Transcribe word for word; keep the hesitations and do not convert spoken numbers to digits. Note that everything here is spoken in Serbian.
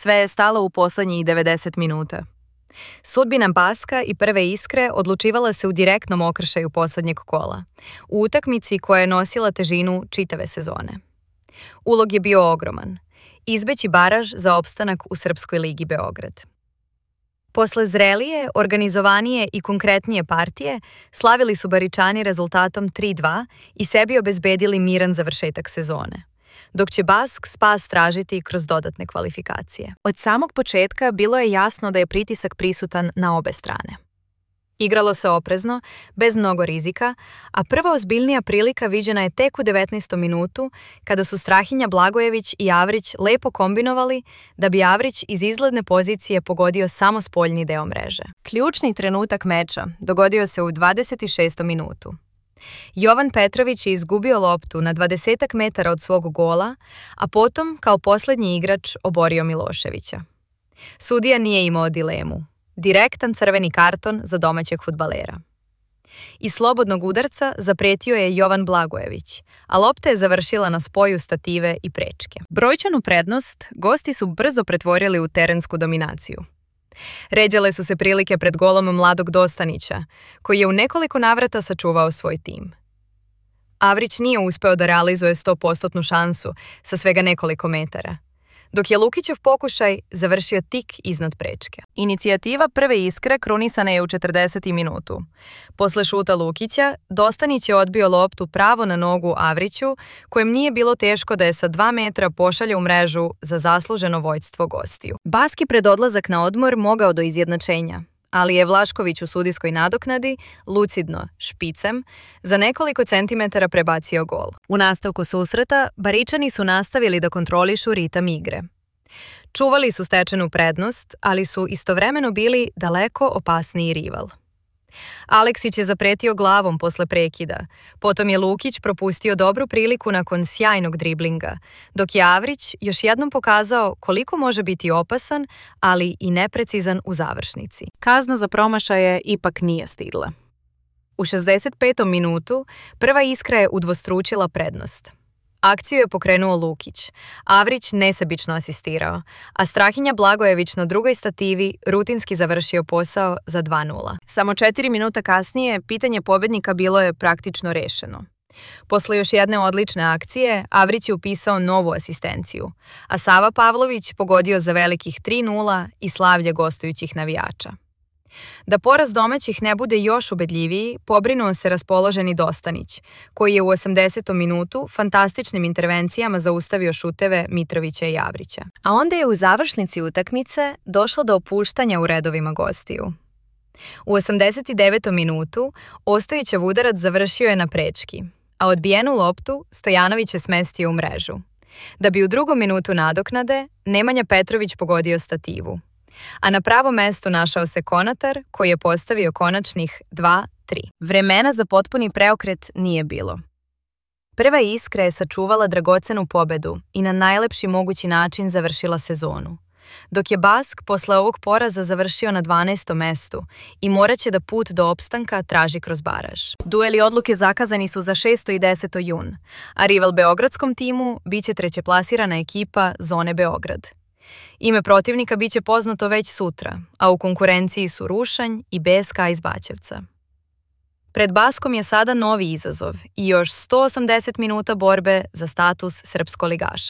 Sve je stalo u posljednjih devedeset minuta. Sudbina Baska i Prve Iskre odlučivala se u direktnom okršaju posljednjeg kola, u utakmici koja je nosila težinu čitave sezone. Ulog je bio ogroman – izbeći baraž za opstanak u Srpskoj ligi Beograd. Posle zrelije, organizovanije i konkretnije partije, slavili su Baričani rezultatom tri dva i sebi obezbedili miran završetak sezone, dok će Bask spas tražiti kroz dodatne kvalifikacije. Od samog početka bilo je jasno da je pritisak prisutan na obe strane. Igralo se oprezno, bez mnogo rizika, a prva ozbiljnija prilika viđena je tek u devetnaestom minutu, kada su Strahinja Blagojević i Avrić lepo kombinovali da bi Avrić iz izgledne pozicije pogodio samo spoljni deo mreže. Ključni trenutak meča dogodio se u dvadeset šestom minutu. Jovan Petrović je izgubio loptu na dvadesetak metara od svog gola, a potom, kao posljednji igrač, oborio Miloševića. Sudija nije imao dilemu. Direktan crveni karton za domaćeg fudbalera. Iz slobodnog udarca zapretio je Jovan Blagojević, a lopta je završila na spoju stative i prečke. Brojčanu prednost gosti su brzo pretvorili u terensku dominaciju. Ređale su se prilike pred golom mladog Dostanića, koji je u nekoliko navrata sačuvao svoj tim. Avrić nije uspeo da realizuje sto posto šansu sa svega nekoliko metara, dok je Lukićev pokušaj završio tik iznad prečke. Inicijativa Prve Iskre krunisana je u četrdesetom minutu. Posle šuta Lukića, Dostanić je odbio loptu pravo na nogu Avriću, kojem nije bilo teško da je sa dva metra pošalje u mrežu za zasluženo vođstvo gostiju. Baski pred odlazak na odmor mogao do izjednačenja, ali je Vlašković u sudijskoj nadoknadi, lucidno, špicem, za nekoliko centimetara prebacio gol. U nastavku susreta, Baričani su nastavili da kontrolišu ritam igre. Čuvali su stečenu prednost, ali su istovremeno bili daleko opasniji rival. Aleksić je zapretio glavom posle prekida, potom je Lukić propustio dobru priliku nakon sjajnog driblinga, dok je Avrić još jednom pokazao koliko može biti opasan, ali i neprecizan u završnici. Kazna za promašaje ipak nije stigla. U šezdeset petom minutu Prva Iskra je udvostručila prednost. Akciju je pokrenuo Lukić, Avrić nesebično asistirao, a Strahinja Blagojević na drugoj stativi rutinski završio posao za dva nula. Samo četiri minuta kasnije pitanje pobednika bilo je praktično rešeno. Posle još jedne odlične akcije, Avrić je upisao novu asistenciju, a Sava Pavlović pogodio za velikih tri nula i slavlje gostujućih navijača. Da poraz domaćih ne bude još ubedljiviji, pobrinuo se raspoloženi Dostanić, koji je u osamdesetom minutu fantastičnim intervencijama zaustavio šuteve Mitrovića i Avrića. A onda je u završnici utakmice došlo do opuštanja u redovima gostiju. U osamdeset devetom minutu Ostojićev udarac završio je na prečki, a odbijenu loptu Stojanović je smestio u mrežu. Da bi u drugom minutu nadoknade Nemanja Petrović pogodio stativu, a na pravo mesto našao se Konatar, koji je postavio konačnih dva tri. Vremena za potpuni preokret nije bilo. Prva Iskra je sačuvala dragocenu pobedu i na najlepši mogući način završila sezonu, dok je Bask posle ovog poraza završio na dvanaestom mestu i morat će da put do opstanka traži kroz baraž. Dueli odluke zakazani su za šesto i deseto jun, a rival beogradskom timu biće trećeplasirana ekipa Zone Beograd. Ime protivnika biće poznato već sutra, a u konkurenciji su Rušanj i B S K iz Baćevca. Pred Baskom je sada novi izazov i još sto osamdeset minuta borbe za status srpskoligaša.